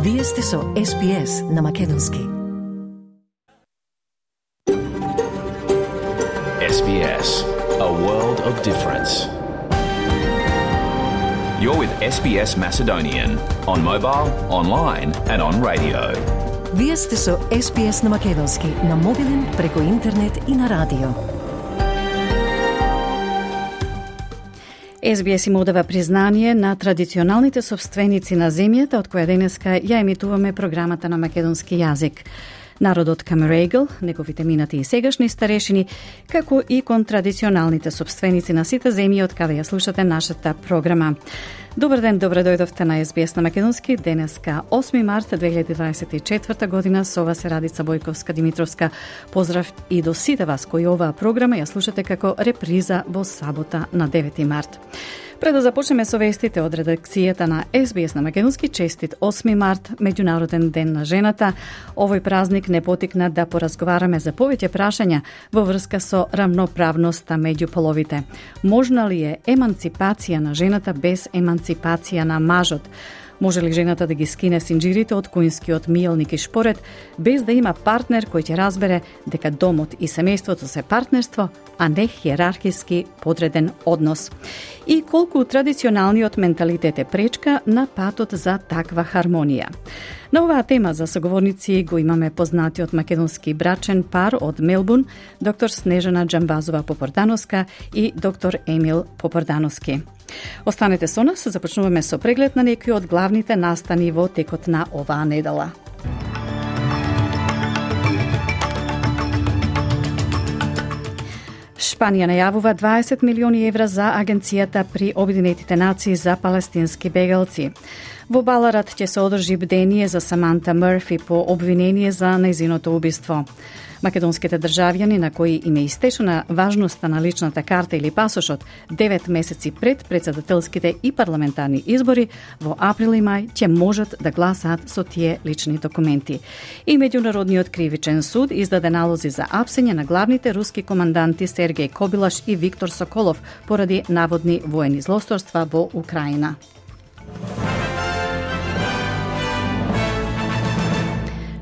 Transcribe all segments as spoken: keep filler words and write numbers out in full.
Вие сте со Ес Би Ес на македонски. Ес Би Ес, a world of difference. You're with Ес Би Ес Macedonian on mobile, online and on radio. Вие сте со Ес Би Ес на македонски, на мобилен, преку интернет и на радио. Ес Би Ес им одава признание на традиционалните собственици на земјата, од која денеска ја емитуваме програмата на македонски јазик. Народот Камерегл, неговите минати и сегашни старешини, како и кон традиционалните собственици на сите земји од каде ја слушате нашата програма. Добар ден, добре дојдовте на Ес Би Ес на македонски. Денеска осми март две илјади дваесет и четврта година, со ова се Радица Бојковска-Димитровска. Поздрав и до сите вас кои оваа програма ја слушате како реприза во сабота на девети март. Пред да започнеме со вестите од редакцијата на Ес Би Ес на македонски, честит осми март, Меѓународен ден на жената. Овој празник не потикна да поразговараме за повеќе прашања во врска со рамноправноста меѓу половите. Можна ли е еманципација на жената без еманципација на мажот? Може ли жената да ги скине синџирите од куинскиот миелник и шпоред, без да има партнер кој ќе разбере дека домот и семејството се партнерство, а не хиерархиски подреден однос? И колку традиционалниот менталитет е пречка на патот за таква хармонија? На оваа тема за соговорници го имаме познатиот македонски брачен пар од Мелбурн, доктор Снежана Џамбазова-Попордановска и доктор Емил Попордановски. Останете со нас, започнуваме со преглед на некои од главните настани во текот на оваа недела. Шпанија најавува дваесет милиони евра за Агенцијата при Обединетите нации за палестински бегалци. Во Баларат ќе се одржи бдение за Саманта Мърфи по обвинение за нејзиното убиство. Македонските државјани на кои им е истечена важноста на личната карта или пасошот девет месеци пред претседателските и парламентарни избори во април и мај ќе можат да гласаат со тие лични документи. И Меѓународниот кривичен суд издаде налози за апсење на главните руски команданти Сергеј Кобилаш и Виктор Соколов поради наводни воени злосторства во Украина.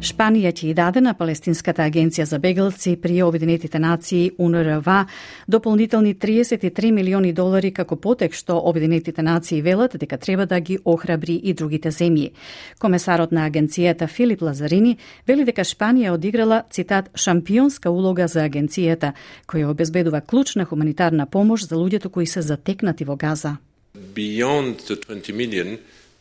Шпанија ќе и даде на Палестинската агенција за бегалци при Обединетите нации У Н Р В дополнителни триесет и три милиони долари како потек што Обединетите нации велат дека треба да ги охрабри и другите земји. Комесарот на агенцијата Филип Лазарини вели дека Шпанија одиграла, цитат, шампионска улога за агенцијата, која обезбедува клучна хуманитарна помош за луѓето кои се затекнати во Газа. Beyond the twenty million,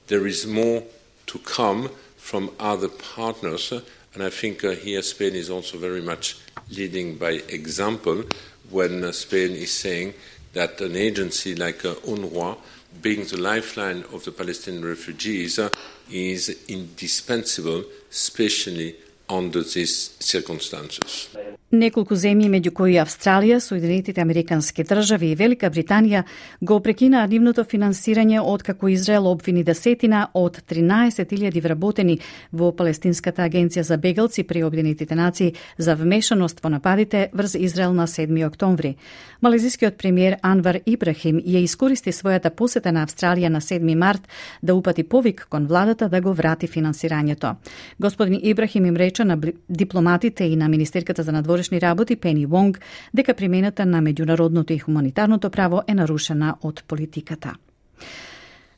there is more to come from other partners, and I think uh, here Spain is also very much leading by example when uh, Spain is saying that an agency like uh, UNRWA, being the lifeline of the Palestinian refugees, uh, is indispensable, especially under these circumstances. Неколку земји, меѓу кои Австралија, Соединетите Американски држави и Велика Британија, го прекинаа нивното финансирање откако Израел обвини десетина од тринаесет илјади вработени во Палестинската агенција за бегалци при Обединетите нации за вмешаност во нападите врз Израел на седми октомври. Малезискиот премиер Анвар Ибрахим ја искористи својата посета на Австралија на седми март да упати повик кон владата да го врати финансирањето. Господин Ибрахим им рече на дипломатите и на Министерката за надворешни работи Пени Вонг дека примената на меѓународното и хуманитарното право е нарушена од политиката.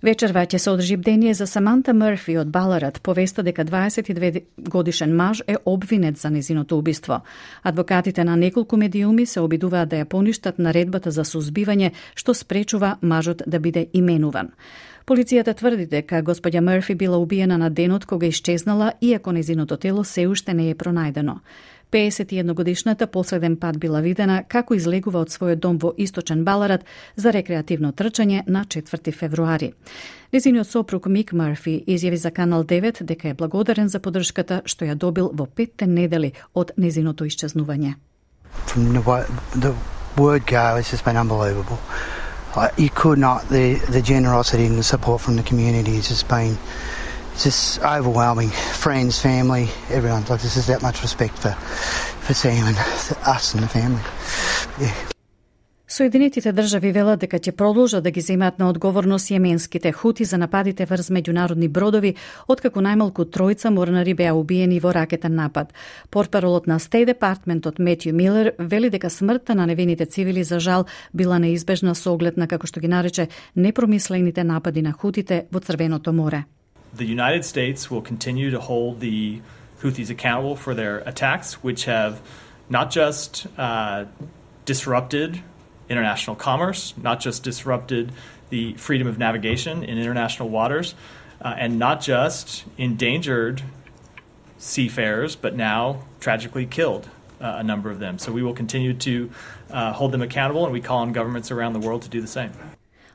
Вечерва ќе се одржи бдение за Саманта Мърфи од Баларат, повеста дека дваесет и две годишен маж е обвинет за незиното убиство. Адвокатите на неколку медиуми се обидуваат да ја поништат наредбата за сузбивање што спречува мажот да биде именуван. Полицијата тврди дека господја Мърфи била убиена на денот кога исчезнала, иако незиното тело се уште не е пронајдено. пеесет и едногодишната последен пат била видена како излегува од својот дом во Источен Баларат за рекреативно трчање на четврти февруари. Незиниот сопруг Мик Мърфи изјави за Канал девет дека е благодарен за поддршката што ја добил во петте недели од незиното исчезнување. From the, the word go, it's just been unbelievable. Uh, you could not, the, the generosity and the support from the community has just been just overwhelming. Friends, family, everyone. Like, there's just that much respect for, for Sam and us and the family. Yeah. Соединетите држави велат дека ќе продолжат да ги земаат на одговорност јеменските хути за нападите врз меѓународни бродови, откако најмалку тројца морнари беа убиени во ракетен напад. Портпаролот на State Departmentот Метју Милер вели дека смртта на невините цивили за жал била неизбежна со оглед на, како што ги нарече, непромислените напади на хутите во Црвеното море. The United States will continue to hold the Houthis accountable for their attacks, which have not just uh, disrupted international commerce, not just disrupted the freedom of navigation in international waters, uh, and not just endangered seafarers, but now tragically killed uh, a number of them. So we will continue to uh, hold them accountable, and we call on governments around the world to do the same.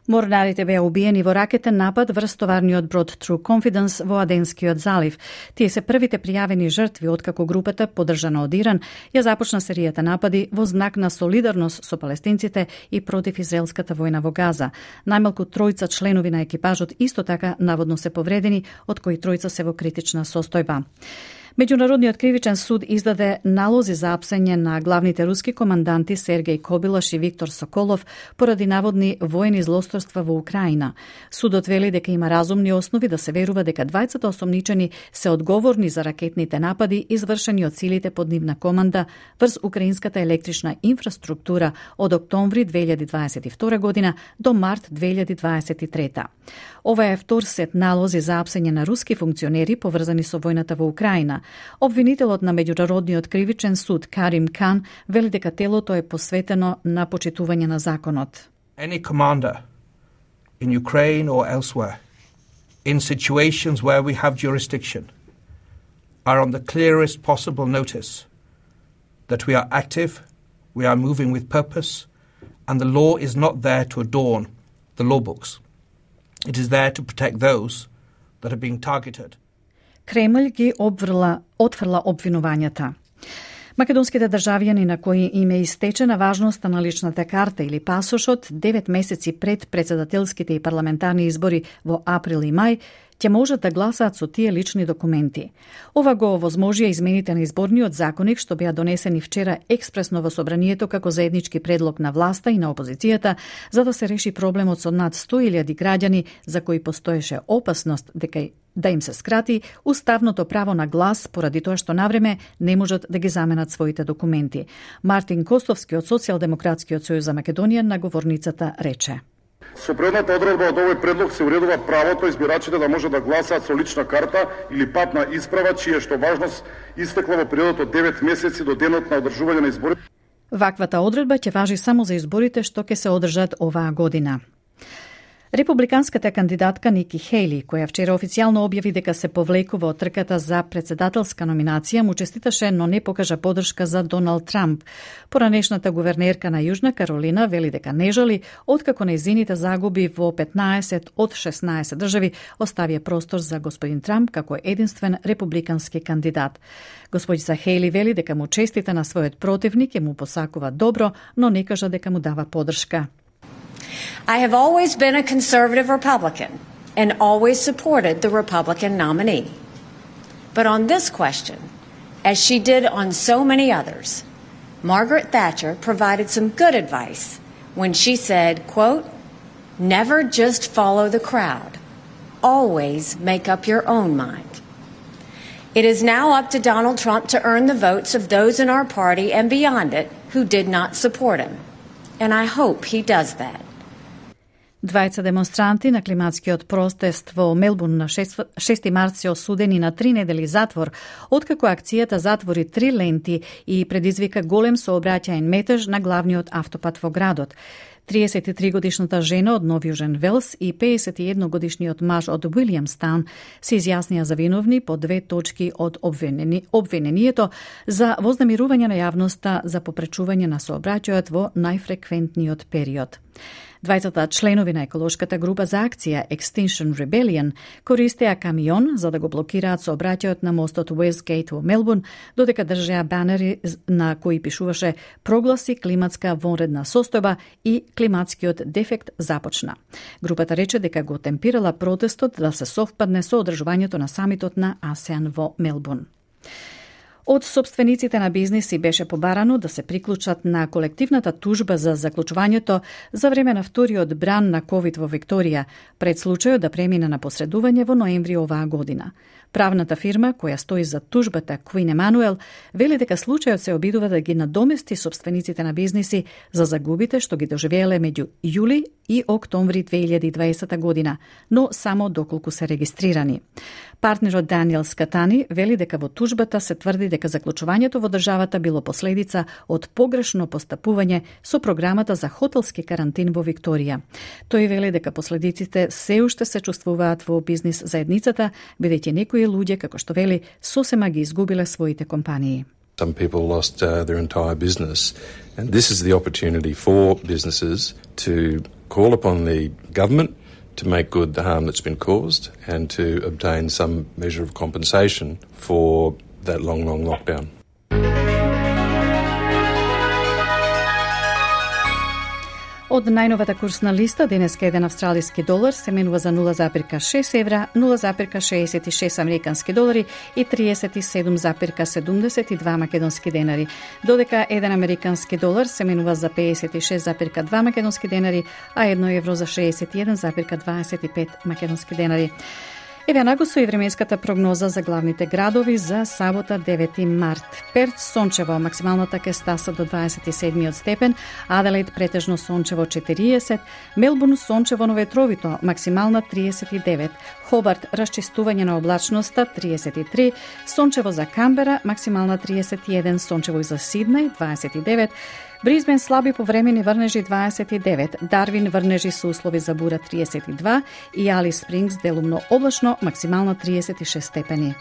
Морнарите беа убиени во ракетен напад врз товарниот брод True Confidence во Аденскиот залив. Тие се првите пријавени жртви откако групата, поддржана од Иран, ја започна серијата напади во знак на солидарност со палестинците и против израелската војна во Газа. Најмалку тројца членови на екипажот исто така наводно се повредени, од кои тројца се во критична состојба. Меѓународниот кривичен суд издаде налози за апсење на главните руски команданти Сергеј Кобилаш и Виктор Соколов поради наводни воени злосторства во Украина. Судот вели дека има разумни основи да се верува дека двајцата осомничени се одговорни за ракетните напади извршени од силите под нивна команда врз украинската електрична инфраструктура од октомври две илјади дваесет и втора година до март две илјади дваесет и трета. Ова е втор сет налози за апсење на руски функционери поврзани со војната во Украина. Обвинителот на Меѓународниот кривичен суд Карим Кан вели дека телото е посветено на почитување на законот. Any commander in Ukraine or elsewhere in situations where we have jurisdiction are on the clearest possible notice that we are active, we are moving with purpose, and the law is not there to adorn the law books. It is there to protect those that are being targeted. Кремљ ги обврла, отфрла обвинувањата. Македонските државјани на кои им е истечена важноста на личната карта или пасошот девет месеци пред председателските и парламентарни избори во април и мај, ќе можат да гласаат со тие лични документи. Ова го овозможија измените на изборниот законник што беа донесени вчера експресно во собранието како заеднички предлог на власта и на опозицијата за да се реши проблемот со над сто илјади граѓани за кои постоеше опасност дека да им се скрати уставното право на глас поради тоа што навреме не можат да ги заменат своите документи. Мартин Костовски од Социјалдемократскиот сојуз за Македонија на говорницата рече: Со предната одредба од овој предлог се уредува правото избирачите да може да гласаат со лична карта или патна исправа, чија што важност истекла во периодот од девет месеци до денот на одржување на изборите. Ваквата одредба ќе важи само за изборите што ќе се одржат оваа година. Републиканската кандидатка Ники Хејли, која вчера официјално објави дека се повлекува од трката за председателска номинација, му честиташе, но не покажа поддршка за Доналд Трамп. Поранешната гувернерка на Јужна Каролина вели дека не жали, откако нејзините загуби во петнаесет од шеснаесет држави оставија простор за господин Трамп како единствен републикански кандидат. Господица Хејли вели дека му честита на својот противник и му посакува добро, но не кажа дека му дава поддршка. I have always been a conservative Republican and always supported the Republican nominee. But on this question, as she did on so many others, Margaret Thatcher provided some good advice when she said, quote, "Never just follow the crowd. Always make up your own mind." It is now up to Donald Trump to earn the votes of those in our party and beyond it who did not support him. And I hope he does that. Двајца демонстранти на климатскиот протест во Мелбурн на шести март се осудени на три недели затвор, откако акцијата затвори три ленти и предизвика голем сообраќаен метеж на главниот автопат во градот. триесет и три годишната жена од Нов Јужен Велс и пеесет и едно годишниот маж од Уилјамстаун се изјаснија за виновни по две точки од обвинени, обвинението за вознемирување на јавноста за попречување на сообраќајот во најфреквентниот период. Двајцата членови на еколошката група за акција Extinction Rebellion користеа камион за да го блокираат сообраќајот на мостот Westgate во Мелбурн, додека држеа банери на кои пишуваше "Прогласи климатска вонредна состојба" и "Климатскиот дефект започна". Групата рече дека го темпирала протестот да се совпадне со одржувањето на самитот на АСЕАН во Мелбурн. Од собствениците на бизниси беше побарано да се приклучат на колективната тужба за заклучувањето за време на вториот бран на ковид во Викторија, пред случајот да премине на посредување во ноември оваа година. Правната фирма која стои за тужбата Queen Emanuel вели дека случајот се обидува да ги надомести собствениците на бизниси за загубите што ги доживееле меѓу јули и октомври две илјади и дваесета година, но само доколку се регистрирани. Партнерот Даниел Скатани вели дека во тужбата се тврди дека заклучувањето во државата било последица од погрешно постапување со програмата за хотелски карантин во Викторија. Тој вели дека последиците се уште се чувствуваат во бизнис заедницата, бидејќи некои луѓе, како што вели, сосема ги изгубиле своите компании. Some people lost uh, their entire business, and this is the opportunity for businesses to call upon the government to make good the harm that's been caused and to obtain some measure of compensation for that long, long lockdown. Од најновата курсна листа, денеска еден австралиски долар се менува за нула запирка шест евра, нула запирка шеесет и шест американски долари и триесет и седум запирка седумдесет и два македонски денари, додека еден американски долар се менува за пеесет и шест запирка два македонски денари, а едно евро за шеесет и еден запирка дваесет и пет македонски денари. Еве нагусо и временската прогноза за главните градови за сабота девети март. Перт сончево, максималната ќе стаса до дваесет и седми степен, Аделаид претежно сончево четириесет, Мелбурн сончево, но ветровито, максимална триесет и девет, Хобарт расчистување на облачноста триесет и три, сончево за Камбера, максимална триесет и еден, сончево и за Сиднеј дваесет и девет, Бризбен слаби повремени врнежи дваесет и девет, Дарвин врнежи со услови за бура триесет и два и Алис Спрингс делумно облачно, максимално триесет и шест степени.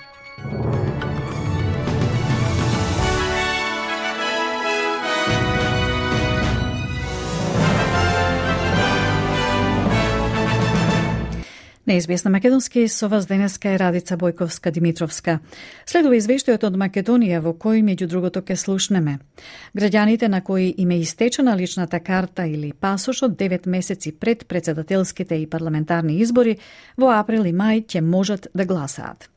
На Ес Би Ес на македонски со вас денеска е Радица Бојковска-Димитровска. Следува извештајот од Македонија во кој меѓу другото ке слушнеме. Граѓаните на кои им е истечена личната карта или пасошот девет месеци пред председателските и парламентарни избори во април и мај ќе можат да гласаат.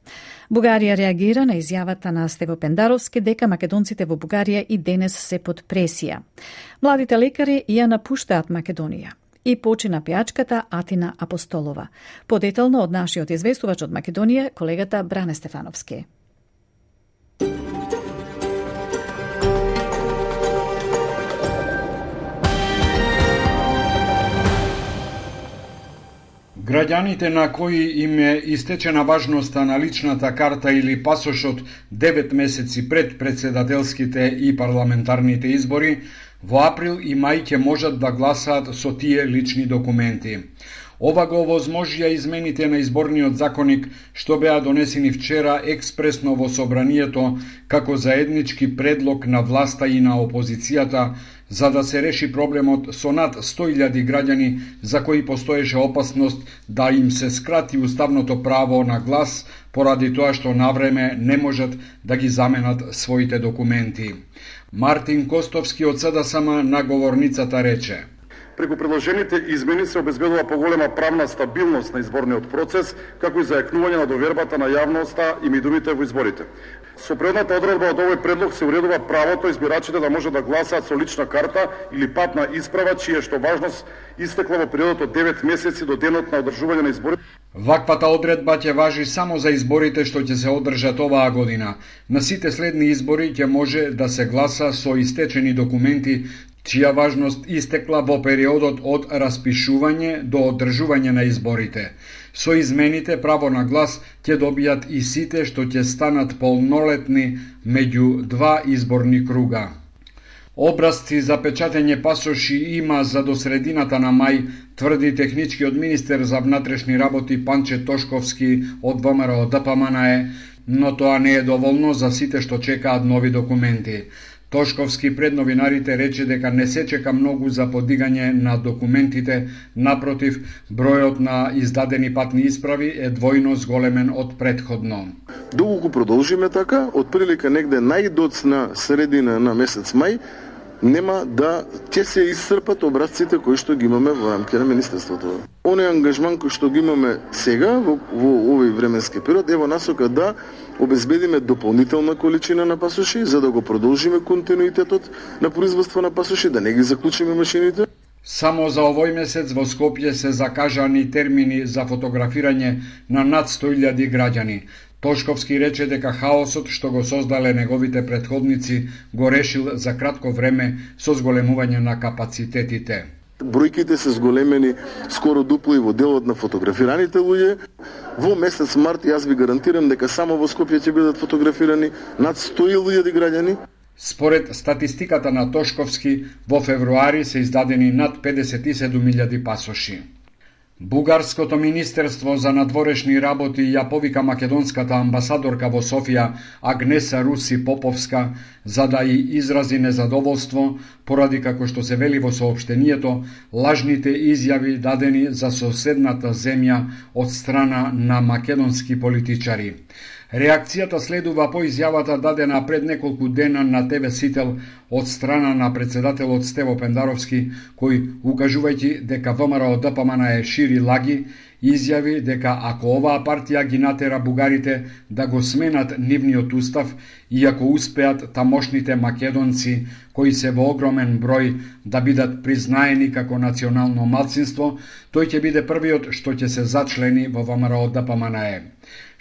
Бугарија реагира на изјавата на Стево Пендаровски дека македонците во Бугарија и денес се под пресија. Младите лекари ја напуштаат Македонија. И почина пејачката Атина Апостолова. Подетално од нашиот известувач од Македонија, колегата Бране Стефановски. Граѓаните на кои им е истечена важноста на личната карта или пасошот девет месеци пред председателските и парламентарните избори, во април и мај ќе можат да гласаат со тие лични документи. Ова го овозможија измените на изборниот законник што беа донесени вчера експресно во собранието како заеднички предлог на власта и на опозицијата за да се реши проблемот со над сто илјади граѓани за кои постоеше опасност да им се скрати уставното право на глас поради тоа што навреме не можат да ги заменат своите документи. Мартин Костовски од СДСМ на говорницата рече: Преку предложените измени се обезбедува поголема правна стабилност на изборниот процес, како и зајакнување на довербата на јавноста и медиумите во изборите. Со предната одредба од овој предлог се уредува правото избирачите да може да гласаат со лична карта или патна исправа, чија што важност истекла во периодот од девет месеци до денот на одржување на изборите. Ваквата одредба ќе важи само за изборите што ќе се одржат оваа година. На сите следни избори ќе може да се гласа со истечени документи чија важност истекла во периодот од распишување до одржување на изборите. Со измените право на глас ќе добијат и сите што ќе станат полнолетни меѓу два изборни круга. Образци за печатење пасоши има за до средината на мај, тврди техничкиот министер за внатрешни работи Панче Тошковски од ВМРО Д П М Н Е, но тоа не е доволно за сите што чекаат нови документи. Тошковски пред новинарите рече дека не се чека многу за подигање на документите, напротив, бројот на издадени патни исправи е двојно зголемен од претходно. Доколку продолжиме така, од прилика негде најдоцна средина на месец мај, нема да ќе се исцрпат образците кои што ги имаме во рамките на министерството. Оној ангажман кој што ги имаме сега во, во овој временски период е во насока да обезбедиме дополнителна количина на пасоши за да го продолжиме континуитетот на производство на пасоши, да не ги заклучиме машините. Само за овој месец во Скопје се закажани термини за фотографирање на над сто илјади граѓани. Тошковски рече дека хаосот што го создале неговите претходници го решил за кратко време со зголемување на капацитетите. Бројките се зголемени скоро дупло и во делот на фотографираните луѓе. Во месец март јас ви гарантирам дека само во Скопје ќе бидат фотографирани над сто илјади граѓани. Според статистиката на Тошковски, во февруари се издадени над педесет и седум илјади пасоши. Бугарското министерство за надворешни работи ја повика македонската амбасадорка во Софија Агнеса Руси Поповска за да и изрази незадоволство поради, како што се вели во соопштението, лажните изјави дадени за соседната земја од страна на македонски политичари. Реакцијата следува по изјавата дадена пред неколку дена на Те Ве Сител од страна на председателот Стево Пендаровски, кој, укажувајќи дека Вэ Ем Ар О Д П М Н е шири лаги, изјави дека ако оваа партија ги натера бугарите да го сменат нивниот устав и ако успеат тамошните македонци, кои се во огромен број, да бидат признаени како национално малцинство, тој ќе биде првиот што ќе се зачлени во Вэ Ем Ар О Д П М Н Е.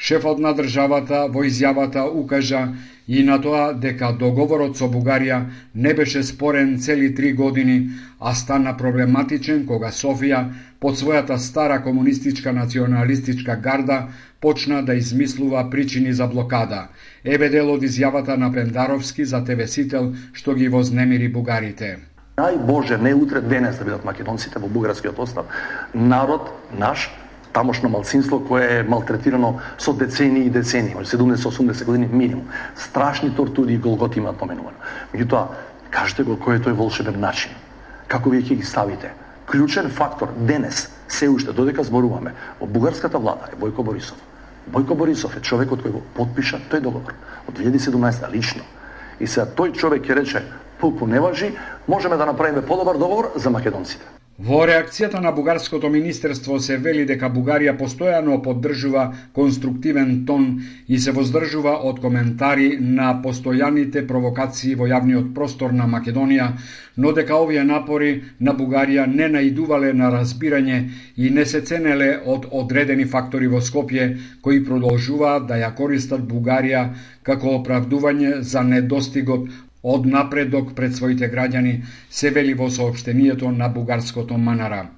Шефот на државата во изјавата укажа и на тоа дека договорот со Бугарија не беше спорен цели три години, а стана проблематичен кога Софија под својата стара комунистичка националистичка гарда почна да измислува причини за блокада. Еве дел од изјавата на Пендаровски за Те Ве Сител што ги вознемири бугарите. Нај Боже, не утре, денес да бидат македонците во бугарскиот остав. Народ наш, тамошно малцинство кое е малтретирано со децении и децении, седумдесет осумдесет години минимум. Страшни тортури и голготи имаат поменувано. Меѓутоа, кажете го кој е тој волшебен начин. Како вие ќе ги ставите? Клучен фактор денес, се уште додека зборуваме, во бугарската влада е Бојко Борисов. Бојко Борисов е човекот кој го потпиша тој договор од две илјади и седумнаесета лично. И сега тој човек ќе рече, пулку не важи, можеме да направиме подобар договор за македонците. Во реакцијата на бугарското министерство се вели дека Бугарија постојано поддржува конструктивен тон и се воздржува од коментари на постојаните провокации во јавниот простор на Македонија, но дека овие напори на Бугарија не наидувале на разбирање и не се ценеле од одредени фактори во Скопје, кои продолжуваат да ја користат Бугарија како оправдување за недостигот од напредок пред своите граѓани, се вели во соопштението на бугарското Манара.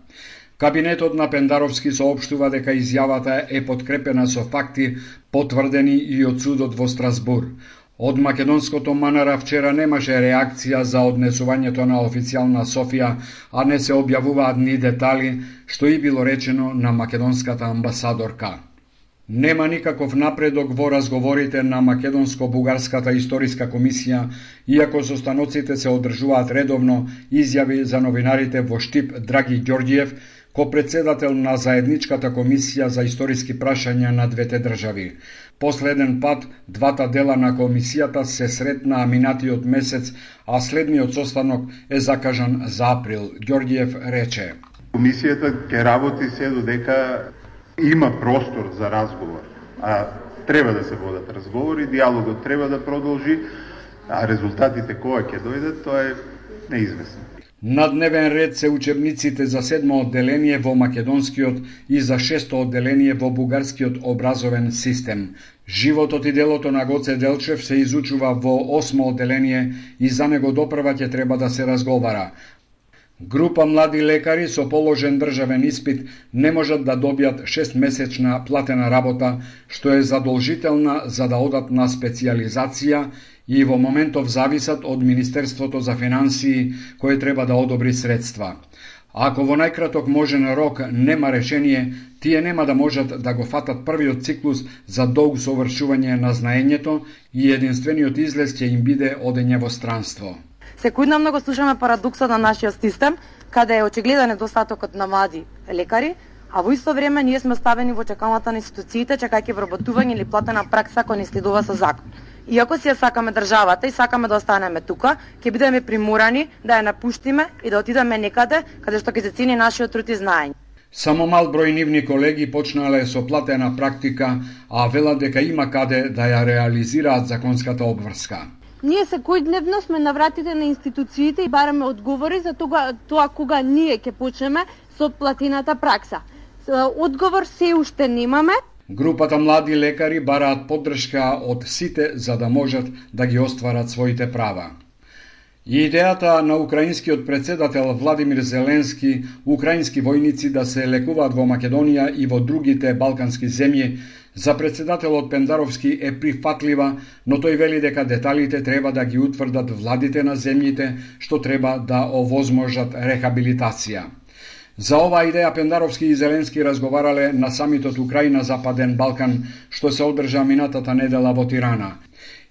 Кабинетот на Пендаровски соопштува дека изјавата е подкрепена со факти потврдени и од судот во Страсбур. Од македонското Манара вчера немаше реакција за однесувањето на официјална Софија, а не се објавуваат ни детали, што и било речено на македонската амбасадорка. Нема никаков напредок во разговорите на Македонско-Бугарската историска комисија, иако состаноците се одржуваат редовно, изјави за новинарите во Штип Драги Ѓорѓиев, ко-председател на заедничката комисија за историски прашања на двете држави. Последен пат, двата дела на комисијата се сретнаа минатиот месец, а следниот состанок е закажан за април. Ѓорѓиев рече: Комисијата ќе работи се додека има простор за разговор, а треба да се водат разговори, диалогот треба да продолжи, а резултатите кога ќе дојдат, тоа е неизвестно. На дневен ред се учебниците за седмо одделение во македонскиот и за шесто одделение во бугарскиот образовен систем. Животот и делото на Гоце Делчев се изучува во осмо одделение и за него допрва ќе треба да се разговара. Група млади лекари со положен државен испит не можат да добијат шестмесечна платена работа, што е задолжителна за да одат на специјализација и во моментов зависат од Министерството за финансии, кое треба да одобри средства. Ако во најкраток можен рок нема решение, тие нема да можат да го фатат првиот циклус за долг совршување на знаењето и единствениот излез ќе им биде одење во странство. Секојдневно го слушаме парадоксот на нашиот систем, каде е очигледен недостатокот на млади лекари, а во исто време ние сме ставени во чекалната на институциите, чекајќи вработување или платена пракса која не следува со закон. Иако си ја сакаме државата и сакаме да останеме тука, ќе бидеме приморани да ја напуштиме и да отидеме некаде каде што ќе се цени нашиот труд и знаење. Само мал број нивни колеги почнале со платена практика, а велат дека има каде да ја реализираат законската обврска. Ние секојдневно сме на вратите на институциите и бараме одговори за тоа, тоа кога ние ќе почнеме со платената пракса. Одговор се уште немаме. Групата млади лекари бараат поддршка од сите за да можат да ги остварат своите права. И идејата на украинскиот председател Владимир Зеленски, украински војници да се лекуваат во Македонија и во другите балкански земји, за председателот Пендаровски е прифатлива, но тој вели дека деталите треба да ги утврдат владите на земјите што треба да овозможат рехабилитација. За оваа идеја Пендаровски и Зеленски разговарале на самитот Украина-Западен Балкан, што се одржа минатата недела во Тирана.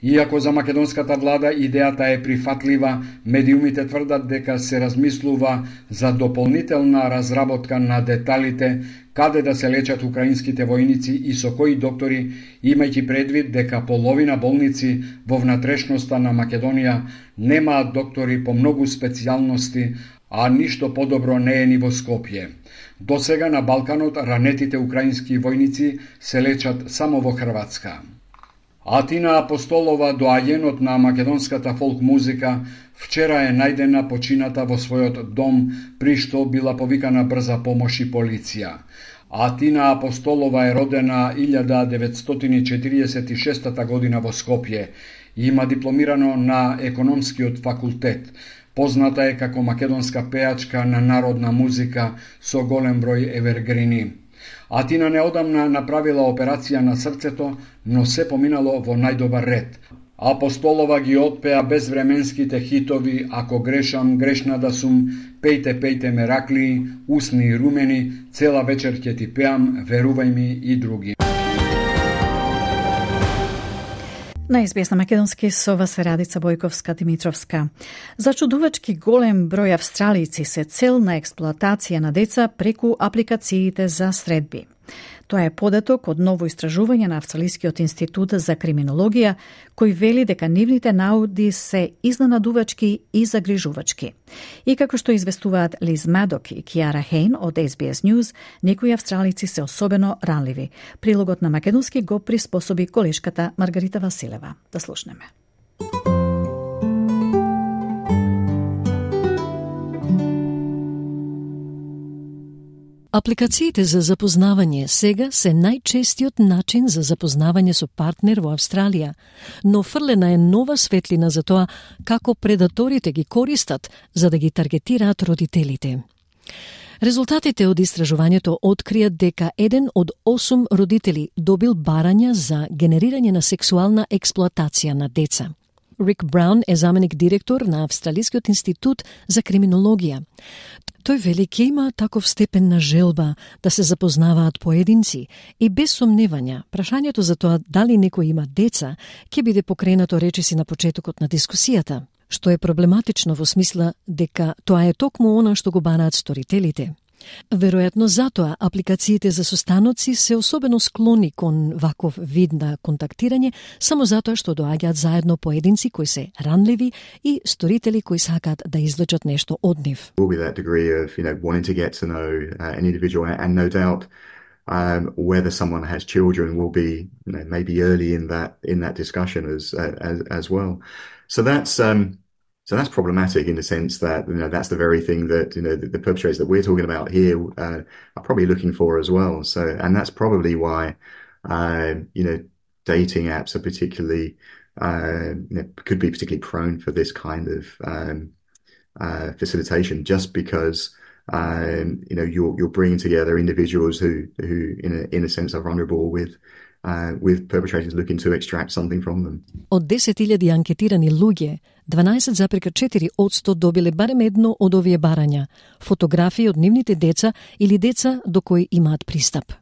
Иако за македонската влада идејата е прифатлива, медиумите тврдат дека се размислува за дополнителна разработка на деталите каде да се лечат украинските војници и со кои доктори, имајќи предвид дека половина болници во внатрешноста на Македонија немаат доктори по многу специјалности, а ништо подобро не е ни во Скопје. До сега на Балканот ранетите украински војници се лечат само во Хрватска. Атина Апостолова, доаѓенот на македонската фолк музика, вчера е најдена почината во својот дом, при што била повикана брза помош и полиција. Атина Апостолова е родена илјада деветстотини четириесет и шеста година во Скопје и има дипломирано на економскиот факултет. Позната е како македонска пеачка на народна музика со голем број евергрини. Атина неодамна направила операција на срцето, но се поминало во најдобар ред. Апостолова ги отпеа безвременските хитови "Ако грешам, грешна да сум", "Пејте, пејте мераклии", "Усни и румени", "Цела вечер ќе ти пеам", "Верувај ми" и други. На ес би ес на македонски со вас Радица Бојковска-Димитровска. Зачудувачки голем број австралици се цел на експлоатација на деца преку апликациите за средби. Тоа е податок од ново истражување на Австралискиот институт за криминологија, кој вели дека нивните наоди се изненадувачки и загрижувачки. И како што известуваат Лиз Мадок и Киара Хейн од ес би ес News, некои австралици се особено ранливи. Прилогот на македонски го приспособи колешката Маргарита Василева. Да слушнеме. Апликациите за запознавање сега се најчестиот начин за запознавање со партнер во Австралија, но фрлена е нова светлина за тоа како предаторите ги користат за да ги таргетираат родителите. Резултатите од истражувањето откријат дека еден од осум родители добил барања за генерирање на сексуална експлоатација на деца. Рик Браун е заменик директор на Австралискиот институт за криминологија. Тој вели ќе има таков степен на желба да се запознаваат поединци и без сомневања, прашањето за тоа дали некој има деца ќе биде покренато речиси на почетокот на дискусијата, што е проблематично во смисла дека тоа е токму она што го бараат сторителите. Веројатно затоа апликациите за состаноци се особено склони кон ваков вид на контактирање, само затоа што доаѓаат заедно поединци кои се ранливи и сторители кои сакаат да извлечат нешто од нив. Will be that degree of, you know, wanting to get to know uh, an individual, and no doubt um, whether someone has children will be, you know, maybe early in that in that discussion as uh, as as well. So that's um So that's problematic in the sense that, you know, that's the very thing that, you know, the, the perpetrators that we're talking about here uh, are probably looking for as well. So, and that's probably why, uh, you know, dating apps are particularly, uh, you know, could be particularly prone for this kind of um, uh, facilitation, just because, um, you know, you're you're bringing together individuals who who in a in a sense are vulnerable with. Uh, with perpetrators looking to extract something from them. Од десет илјади анкетирани луѓе, дванаесет запирка четири одсто добиле барем едно од овие барања, фотографии од нивните деца или деца до кои имаат пристап.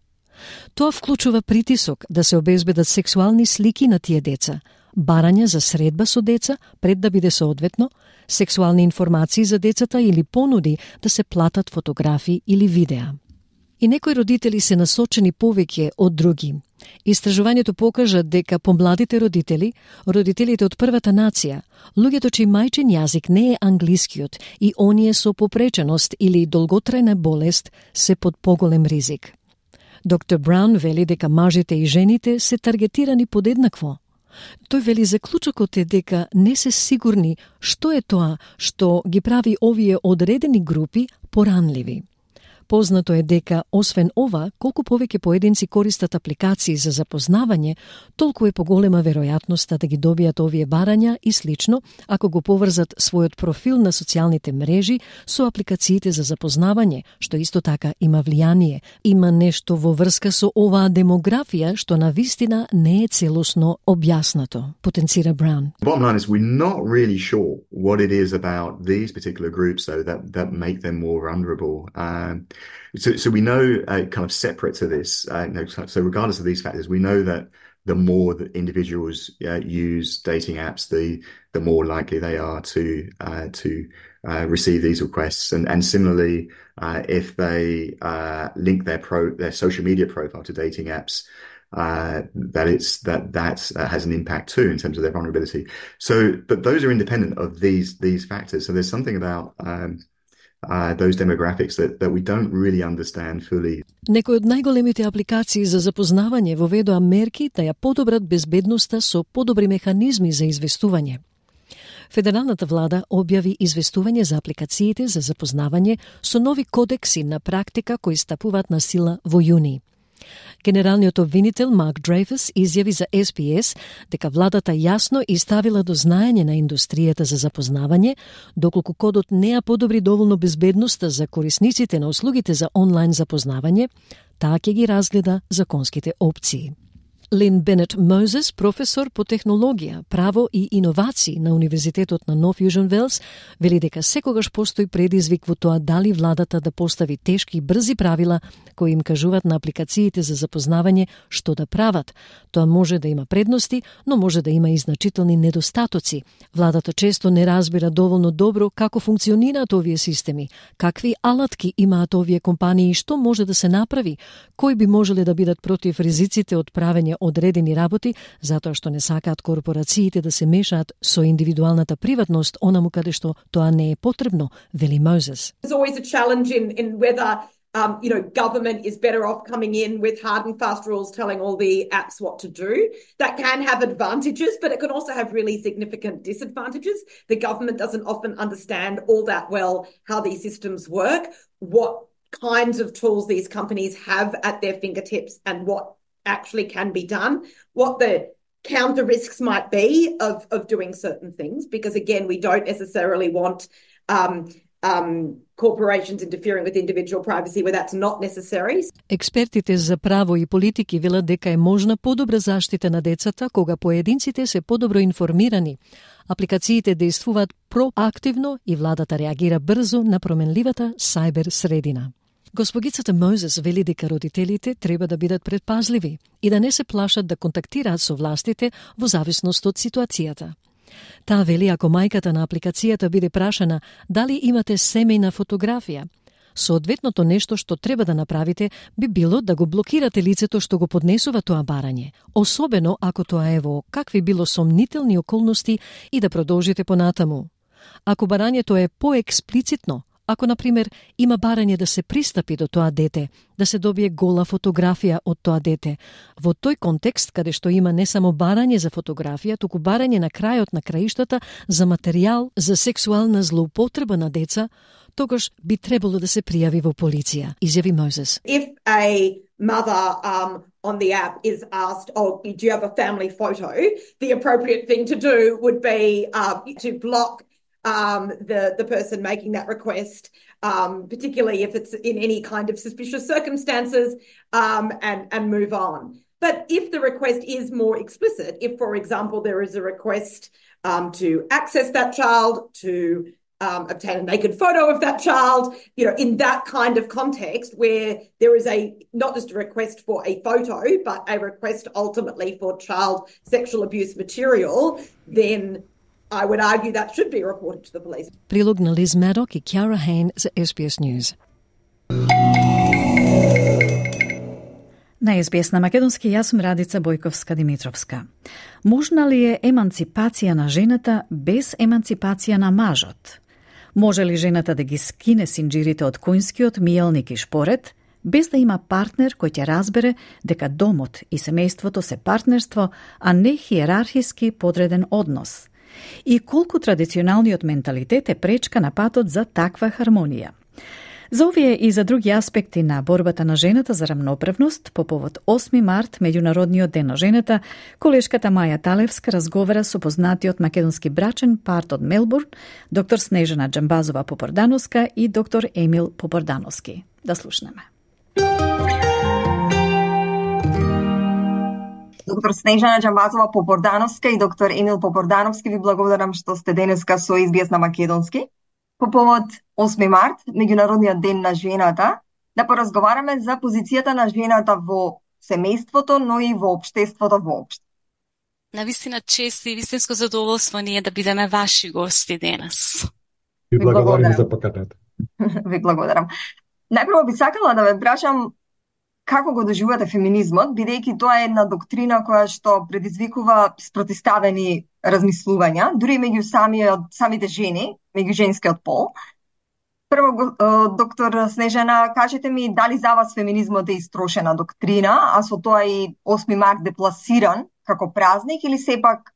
Тоа вклучува притисок да се обезбедат сексуални слики на тие деца, барања за средба со деца пред да биде соодветно, сексуални информации за децата или понуди да се платат фотографии или видеа. И некои родители се насочени повеќе од други. Истражувањето покажа дека помладите родители, родителите од првата нација, луѓето чиј мајчин јазик не е англискиот и оние со попреченост или долготрајна болест се под поголем ризик. доктор Браун вели дека мажите и жените се таргетирани подеднакво. Тој вели заклучокот е дека не се сигурни што е тоа што ги прави овие одредени групи поранливи. Познато е дека, освен ова, колку повеќе поединци користат апликации за запознавање, толку е поголема веројатноста да ги добијат овие барања и слично, ако го поврзат својот профил на социјалните мрежи со апликациите за запознавање, што исто така има влијание. Има нешто во врска со оваа демографија што на вистина не е целосно објаснато, потенцира Браун. Bottom line is we're not really sure what it is about these particular groups though that, that make them more vulnerable. Um, So, so we know, uh, kind of separate to this, uh, no, so regardless of these factors, we know that the more that individuals uh, use dating apps, the the more likely they are to uh, to uh, receive these requests. And, and similarly, uh, if they uh, link their pro their social media profile to dating apps, uh, that it's that that uh, has an impact too in terms of their vulnerability. So, but those are independent of these these factors. So there's something about um, Uh, those demographics that, that we don't really understand fully. Некои од најголемите апликации за запознавање воведоа мерки да ја подобрат безбедноста со подобри механизми за известување. Федералната влада објави известување за апликациите за запознавање со нови кодекси на практика кои стапуваат на сила во јуни. Генералниот обвинител Марк Дрейфус изјави за Ес Би Ес дека владата јасно изставила до знаење на индустријата за запознавање, доколку кодот не ја подобри доволно безбедноста за корисниците на услугите за онлайн запознавање, таа ќе ги разгледа законските опции. Лин Бенет Мозес, професор по технологија, право и иновации на Универзитетот на Нов Јужен Велс, вели дека секогаш постои предизвик во тоа дали владата да постави тешки и брзи правила кои им кажуваат на апликациите за запознавање што да прават. Тоа може да има предности, но може да има и значителни недостатоци. Владата често не разбира доволно добро како функционираат овие системи, какви алатки имаат овие компании и што може да се направи, кои би можеле да бидат против ризиците од правење одредени работи, затоа што не сакаат корпорациите да се мешаат со индивидуалната приватност онаму каде што тоа не е потребно, вели Мозес. There's always a challenge in, in whether um, you know, government is better off coming in with hard and fast rules telling all the apps what to do. That can have advantages, but it can also have really significant disadvantages. The government doesn't often understand all that well how these systems work, what kinds of tools these companies have at their fingertips and what actually can be done, what the counter risks might be of, of doing certain things, because again, we don't necessarily want um, um, corporations interfering with individual privacy where that's not necessary. Експертите за право и политики велат дека е можна подобра заштита на децата кога поединците се подобро информирани. Апликациите действуваат проактивно и владата реагира брзо на променливата сајбер средина. Госпогицата Мозес вели дека родителите треба да бидат предпазливи и да не се плашат да контактираат со властите во зависност од ситуацијата. Таа вели ако мајката на апликацијата биде прашана дали имате семејна фотографија, соодветното нешто што треба да направите би било да го блокирате лицето што го поднесува тоа барање, особено ако тоа е во какви било сомнителни околности и да продолжите понатаму. Ако барањето е поексплицитно, ако, например, има барање да се пристапи до тоа дете, да се добие гола фотографија од тоа дете, во тој контекст каде што има не само барање за фотографија, туку барање на крајот на краиштата за материјал за сексуална злоупотреба на деца, тогаш би требало да се пријави во полиција, изјави Мозес. If a mother um, on the app is asked, oh, do you have a family photo? The appropriate thing to do would be uh, to block Um, the, the person making that request, um, particularly if it's in any kind of suspicious circumstances, um, and, and move on. But if the request is more explicit, if, for example, there is a request um, to access that child, to um, obtain a naked photo of that child, you know, in that kind of context where there is a, not just a request for a photo, but a request ultimately for child sexual abuse material, then I would argue that should be reported to the police. Прилог на Лиз Медок и Кјара Хейн за Ес Би Ес News. На Ес Би Ес на македонски јас сум Радица Бојковска-Димитровска. Можна ли е еманципација на жената без еманципација на мажот? Може ли жената да ги скине синџирите од конјскиот миелник и шпорет, без да има партнер кој ќе разбере дека домот и семејството се партнерство, а не хиерархиски подреден однос? И колку традиционалниот менталитет е пречка на патот за таква хармонија? За овие и за други аспекти на борбата на жената за рамноправност по повод осми март, Меѓународниот ден на жената, колешката Маја Талевска разговара со познатиот македонски брачен парт од Мелбурн, доктор Снежана Џамбазова-Попордановска и доктор Емил Попордановски. Да слушнеме. Доктор Снежана Џамбазова-Попордановска и доктор Емил Попордановски, ви благодарам што сте денеска со Ес Би Ес на македонски. По повод осми март, Меѓународниот ден на жената, да поразговараме за позицијата на жената во семејството, но и во општеството воопшто. Навистина чест и вистинско задоволство ние да бидеме ваши гости денес. Ви благодарам за поканата. Ви благодарам. Најпрво би сакала да ве прашам како го доживувате феминизмот, бидејќи тоа е една доктрина која што предизвикува спротиставени размислувања, дури меѓу самиот, самите жени, меѓу женскиот пол. Прво, доктор Снежана, кажете ми дали за вас феминизмот е истрошена доктрина, а со тоа и осми март депласиран како празник, или сепак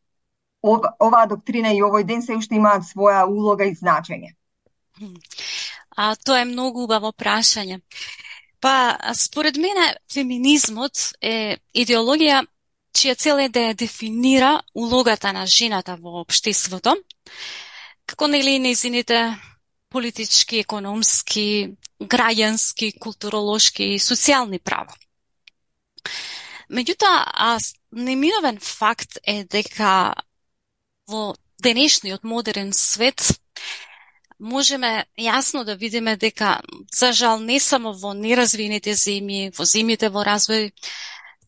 оваа доктрина и овој ден се уште имаат своја улога и значење? А, тоа е многу убаво прашање. Па, според мене, феминизмот е идеологија чија цел е да ја дефинира улогата на жената во општеството, како нели нејзините политички, економски, граѓански, културолошки и социјални права. Меѓутоа, неминовен факт е дека во денешниот модерен свет можеме јасно да видиме дека, за жал, не само во неразвиените земји, во земјите во развој,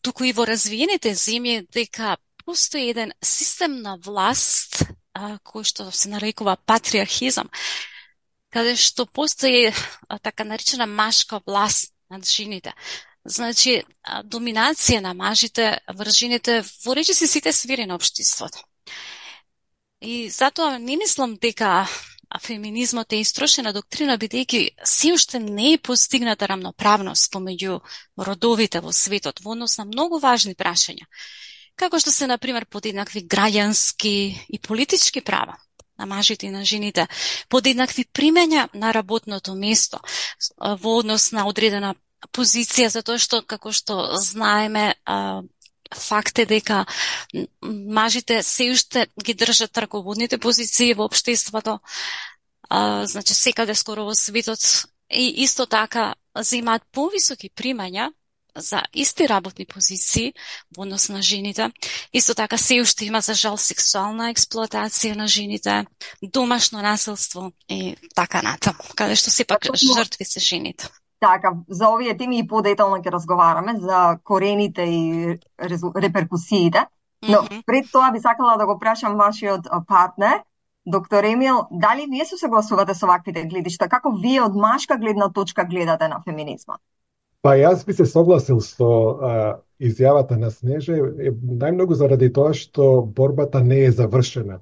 туку и во развиените земји, дека постои еден систем на власт, а, кој што се нарекува патриархизам, каде што постои а, така наречена машка власт над жените. Значи, а, доминација на мажите врз жените во речиси сите сфери на општеството. И затоа не мислам дека а феминизмот е истрошена доктрина, бидејќи се уште не е постигната рамноправност помеѓу родовите во светот во однос на многу важни прашања, како што се, например, подеднакви граѓански и политички права на мажите и на жените, подеднакви примања на работното место во однос на одредена позиција, затоа што, како што знаеме, факт е дека мажите се уште ги држат раководните позиции во општеството, а, значи секаде скоро во светот, и исто така земаат повисоки примања за исти работни позиции во однос на жените. Исто така се уште има, за жал, сексуална експлоатација на жените, домашно насилство и така натаму, каде што сепак жртви се жените. Така, за овие теми и подетално ќе разговараме, за корените и реперкусиите. Но mm-hmm. пред тоа би сакала да го прашам вашиот партнер, доктор Емил, дали вие се согласувате со ваквите гледишта? Како вие од машка гледна точка гледате на феминизмот? Па јас би се согласил со а, изјавата на Снеже, најмногу заради тоа што борбата не е завршена.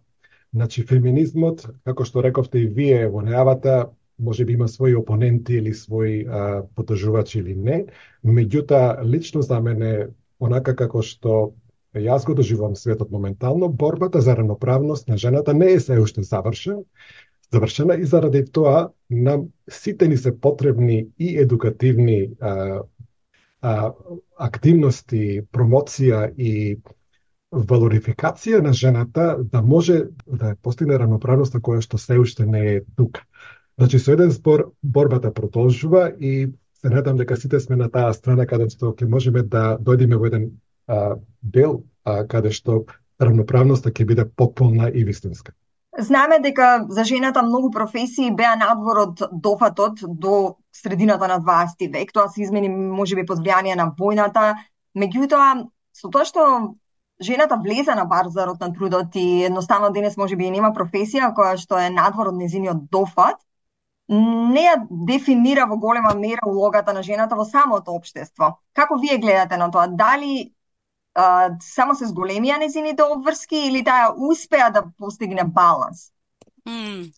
Значи, феминизмот, како што рековте и вие во најавата, може би има своји опоненти или своји а, поддржувачи или не, меѓутоа, лично за мене, онака како што јас го доживувам светот моментално, борбата за равноправност на жената не е се уште завршена, завршена и заради тоа нам сите ни се потребни и едукативни а, а, активности, промоција и валорификација на жената да може да постигне равноправноста која што се уште не е тука. Значи, со еден збор, борбата продолжува и се надам дека сите сме на таа страна каде што ќе можеме да дојдеме во еден а, дел а, каде што равноправноста ќе биде потполна и вистинска. Знаеме дека за жената многу професии беа надвор од дофатот до средината на дваесети век. Тоа се измени можеби под влијание на војната. Меѓутоа, со тоа што жената влезе на пазарот на трудот и едноставно денес можеби и нема професија која што е надвор од незиниот дофат, не ја дефинира во голема мера улогата на жената во самото општество. Како вие гледате на тоа? Дали а, само се зголемија незините обврски или таа успеа да постигне баланс? Mm.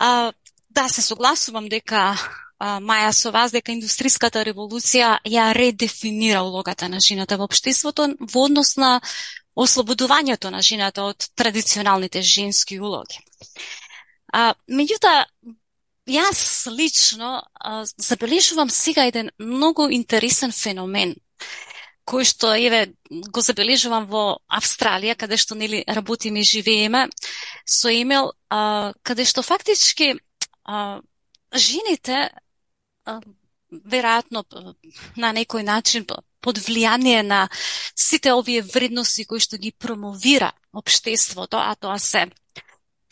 А, да, се согласувам дека а, Маја со вас дека индустриската револуција ја редефинира улогата на жената во општеството во однос на ослободувањето на жената од традиционалните женски улоги. А, меѓутоа, јас лично а, забележувам сега еден многу интересен феномен, кој што еве го забележувам во Австралија, каде што нели работиме и живееме, со Емил, а, каде што фактички а, жените а, веројатно на некој начин под влијание на сите овие вредности кои што ги промовира општеството, а тоа се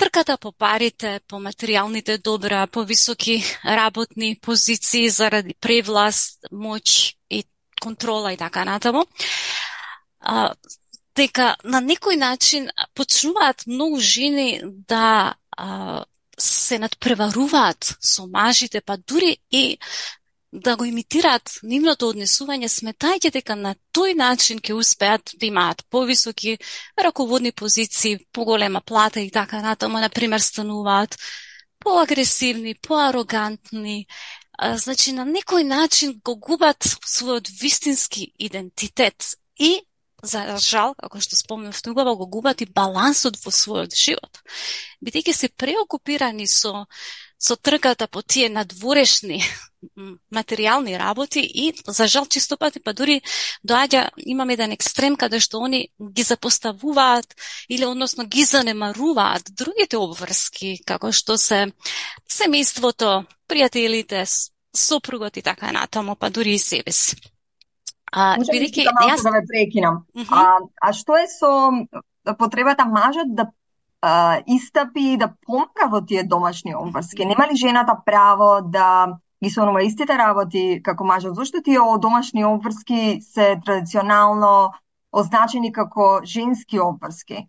трката по парите, по материјалните добра, по високи работни позиции заради превласт, моќ и контрола и така натаму, а, дека на некој начин почнуваат многу жени да а, се надпреваруваат со мажите, па дури и да го имитираат нивното однесување, сметајќи дека на тој начин ќе успеат да имаат повисоки раководни позиции, поголема плата и така натаму, например, стануваат поагресивни, поарогантни, а, значи на некој начин го губат својот вистински идентитет и, за жал, како што спомнав тогава, го губат и балансот во својот живот. Бидејќи се преокупирани со со трката по тие надворешни материјални работи и, за жал, чисто пати, па дури доаѓа, имаме еден екстрем каде што они ги запоставуваат или, односно, ги занемаруваат другите обврски, како што се семејството, пријателите, сопругот и така натаму, па дури и себе си. А, бидејќи јас да ве прекинам. Uh -huh. А а што е со потребата мажот да а, истапи и да помага во тие домашни обврски? Нема ли жената право да ги сонува истите работи како мажот? Зошто тие домашни обврски се традиционално означени како женски обврски?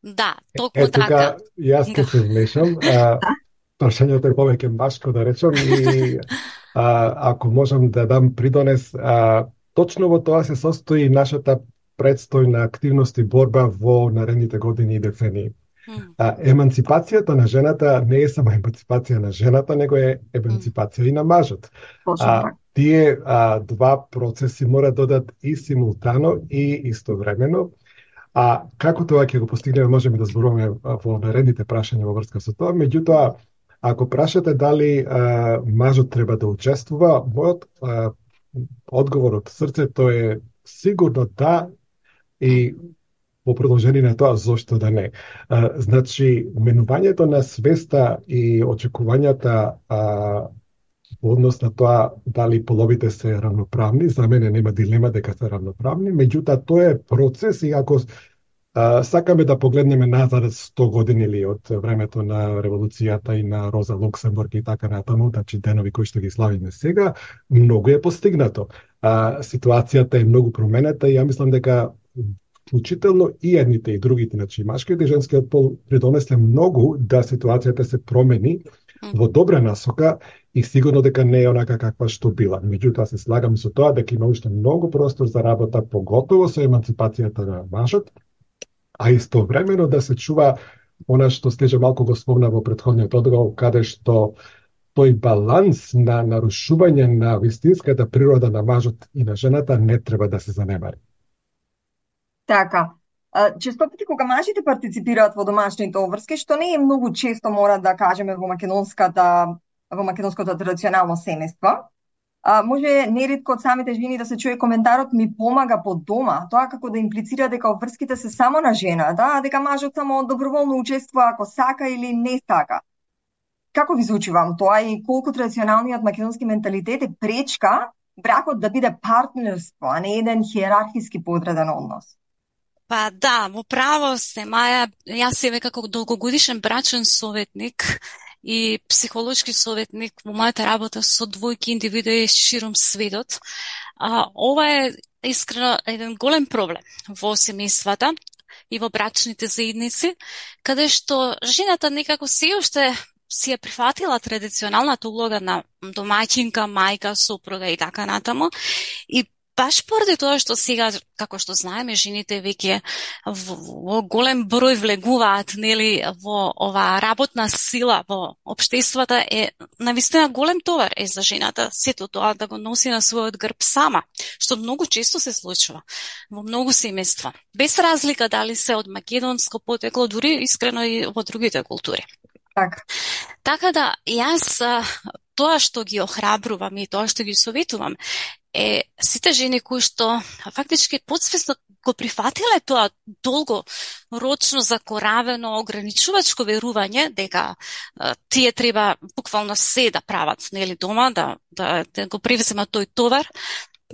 Да, токму е, така. Тука, јас ќе се вмешам. Прашањето е повеќе машко, да речам, и а, ако можам да дам придонес, а, точно во тоа се состои нашата предстојна активност и борба во наредните години и децении. А, еманципацијата на жената не е само еманципација на жената, него е еманципација mm. и на мажот. А, тие а, два процеси мора да одат и симултано и истовремено. А како тоа ќе го постигнеме, можеме да зборуваме во наредните прашања во врска со тоа. Меѓутоа, ако прашате дали а, мажот треба да учествува, мојот а, одговор од срцето е сигурно да, и во продолжение на тоа, зошто да не. А, значи, менувањето на свеста и очекувањата а, во однос на тоа дали половите се равноправни, за мене нема дилема дека се равноправни, меѓутоа тоа е процес и ако а, сакаме да погледнеме назад сто години или од времето на револуцијата и на Роза Луксембург и така натаму, значи денови кои што ги славиме сега, многу е постигнато. А, ситуацијата е многу променета и ја мислам дека вклучително и едните и другите, значи машкиот и женскиот пол придонесе многу да ситуацијата се промени во добра насока и сигурно дека не е онака каква што била. Меѓутоа се слагам со тоа дека има уште многу простор за работа, поготово со еманципацијата на мажот, а истовремено да се чува она што Стежа малку го спомна во претходниот одговор, каде што тој баланс на нарушување на вистинската природа на мажот и на жената не треба да се занемари. Така. Често пати кога мажите партиципираат во домашните обврски, што не е многу често, мора да кажеме, во македонската во македонското традиционално семејство, може неретко од самите жени да се чуе коментарот ми помага по дома, тоа како да имплицира дека обврските се само на жената, а дека мажот само доброволно учествува ако сака или не сака. Како ви звучи вам тоа и колку традиционалниот македонски менталитет е пречка бракот да биде партнерство, а не еден хиерархиски подреден однос? Па да, во право сте, Маја, јас себе како долгогодишен брачен советник и психолошки советник во мојата работа со двојки индивидуи широм светот, а, ова е искрено еден голем проблем во семејствата и во брачните заедници, каде што жената некако се уште си е прифатила традиционалната улога на домаќинка, мајка, сопруга и така натаму. И баш поради тоа што сега, како што знаеме, жените веќе во голем број влегуваат, нели, во оваа работна сила во општеството, е навистина голем товар е за жената сето тоа да го носи на својот грб сама, што многу често се случува во многу семејства, без разлика дали се од македонско потекло, дури искрено и во другите култури. Так. Така да, јас тоа што ги охрабрувам и тоа што ги советувам е сите жени кои што фактички подсвесно го прифатиле тоа долгорочно закоравено ограничувачко верување дека а, тие треба буквално се да прават, нели, дома, да, да, да го превземат тој товар,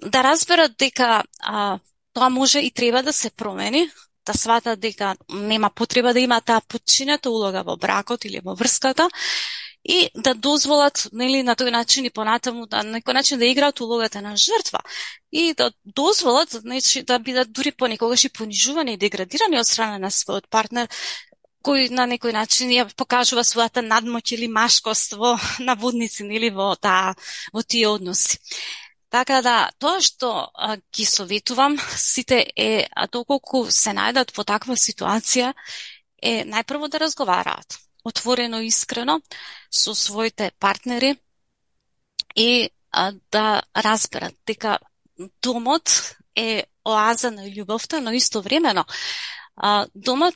да разберат дека а, тоа може и треба да се промени, да сватат дека нема потреба да има таа подчинета улога во бракот или во врската, и да дозволат, нели, на тој начин и понатаму, да, на некој начин да играат улогата на жртва и да дозволат, значи, да бидат дури понекогаш и понижувани и деградирани од страна на својот партнер, кој на некој начин ја покажува својата надмоќ или машкост во наводници, нели, во таа во тие односи. Така да, тоа што а, ги советувам сите е, а доколку се најдат во таква ситуација, е најпрво да разговараат отворено и искрено со своите партнери и а, да разберат дека домот е оаза на љубовта, но истовремено а, домот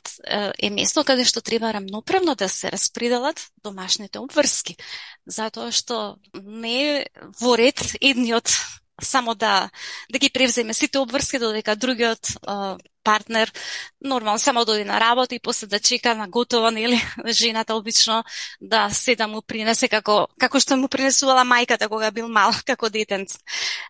е место каде што треба рамноправно да се распределат домашните обврски, затоа што не е во ред едниот само да да ги превземе сите обврски, додека другиот а, партнер нормално само дојде на работа и после да чека на готово, нели, жената обично да се да му принесе како како што му принесувала мајката кога бил мал, како детенце.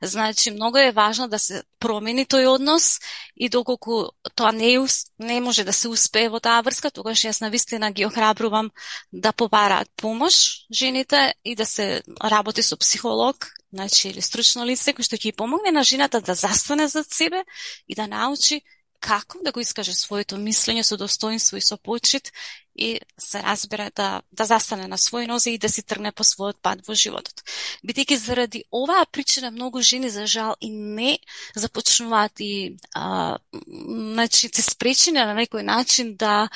Значи многу е важно да се промени тој однос и доколку тоа не не може да се успее во таа врска, тогаш јас навистина ги охрабрувам да побараат помош жените и да се работи со психолог, значи или стручно лице кој што ќе помогне на жената да застане зад себе и да научи како да го искаже своето мислење со достоинство и со почит и се разбере да, да застане на своји нозе и да си тргне по својот пат во животот. Бидејќи заради оваа причина многу жени, за жал, и не започнуваат и а, значи, се спречени на некој начин да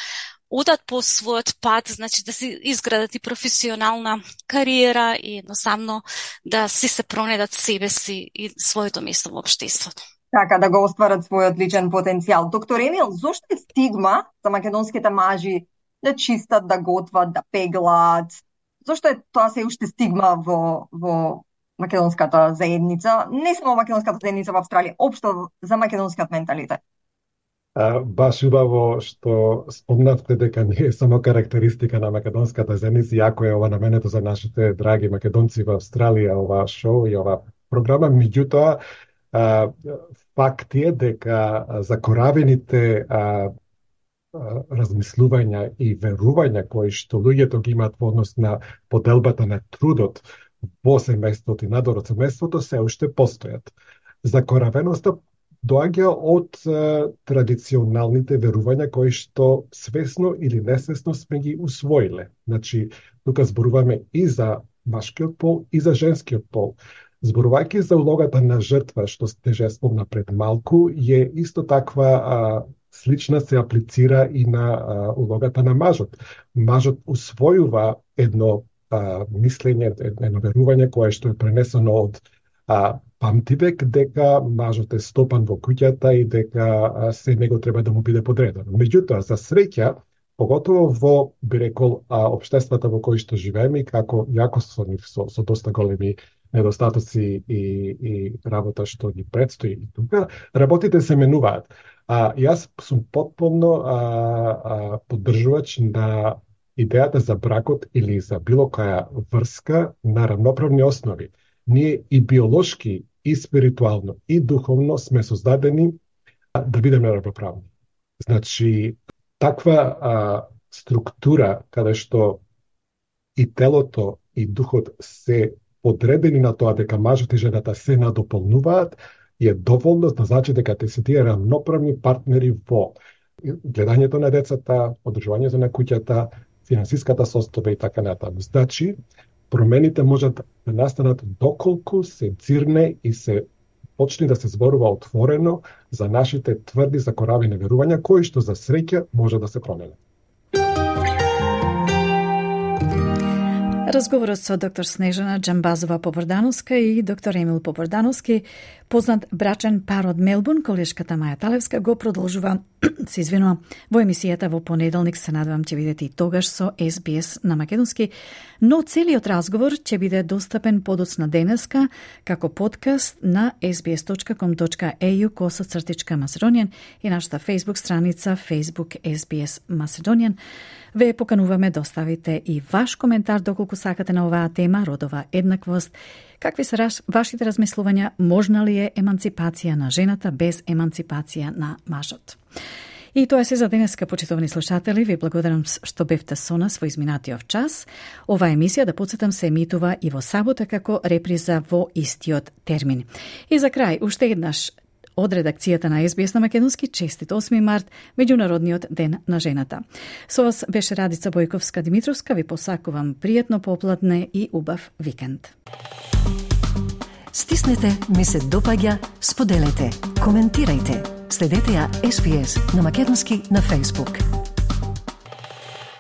одат по својот пат, значи да си изградат и професионална кариера и едноставно да си се пронедат себе си и своето место во општеството. Така, да го остварат својот личен потенцијал. Доктор Емил, зошто е стигма за македонските мажи да чистат, да готват, да пеглаат? Зошто е тоа се уште стигма во, во македонската заедница? Не само македонската заедница во Австралија, општо за македонскиот менталитет. А, баш убаво што спомнавте дека не е само карактеристика на македонската заедница, иако е ова наменето за нашите драги македонци во Австралија, ова шоу и ова програма, меѓутоа Uh, факт е дека закоравените uh, uh, размислувања и верувања кои што луѓето ги имаат во однос на поделбата на трудот во семејството и надвор од семејството се уште постојат. Закоравеноста доаѓа од uh, традиционалните верувања кои што свесно или несвесно сме ги усвоиле. Значи, тука зборуваме и за машкиот пол и за женскиот пол. Зборувајќи за улогата на жртва, што стеже спомна пред малку, е исто таква а, слична се аплицира и на а, улогата на мажот. Мажот усвојува едно а, мислење, едно верување кое што е пренесено од а, памтивек, дека мажот е стопан во куќата и дека а, се него треба да му биде подредено. Меѓутоа, за среќа, поготово во, би рекол, а, општествата во кои што живееме, како јако со нив, со, со доста големи недостатоци и, и работа што ги предстои и тука, работите се менуваат. А, јас сум потполно а, а, поддржувач на идејата за бракот или за било која врска на равноправни основи. Ние и биолошки, и спиритуално, и духовно сме создадени а, да бидеме равноправни. Значи, таква а, структура каде што и телото и духот се подредени на тоа дека мажот и жената се надополнуваат, е доволно да значи дека те се тие равноправни партнери во гледањето на децата, одржувањето на куќата, финансиската состојба и така натаму. Значи, промените можат да настанат доколку се дзирне и се почне да се зборува отворено за нашите тврди закоравени верувања, кои што за среќа може да се променат. Разговорот со доктор Снежана Џамбазова-Попордановска и доктор Емил Попордановски, познат брачен пар од Мелбурн, колешката Маја Талевска, го продолжува, се извинува, во емисијата во понеделник. Се надевам ќе бидете и тогаш со Ес Би Ес на македонски, но целиот разговор ќе биде достапен подоцна денеска како подкаст на ес би ес точка ком точка ей ю косацртичка Macedonian и нашата Facebook страница Facebook Ес Би Ес Macedonian. Ве покануваме да оставите и ваш коментар доколку сакате на оваа тема, родова еднаквост. Какви се вашите размислувања? Можна ли е еманципација на жената без еманципација на мажот? И тоа се за денеска, почитувани слушатели. Ви благодарам што бевте со нас во изминатиот час. Ова емисија, да подсетам, се емитува и во сабота како реприза во истиот термин. И за крај, уште еднаш, од редакцијата на Ес Би Ес на македонски, честит осми март, Меѓународниот ден на жената. Со вас беше Радица Бојковска-Димитровска. Ви посакувам пријатно попладне и убав викенд. Стиснете, ми се допаѓа, споделете, коментирајте. Следете ја Ес Би Ес на македонски на Facebook.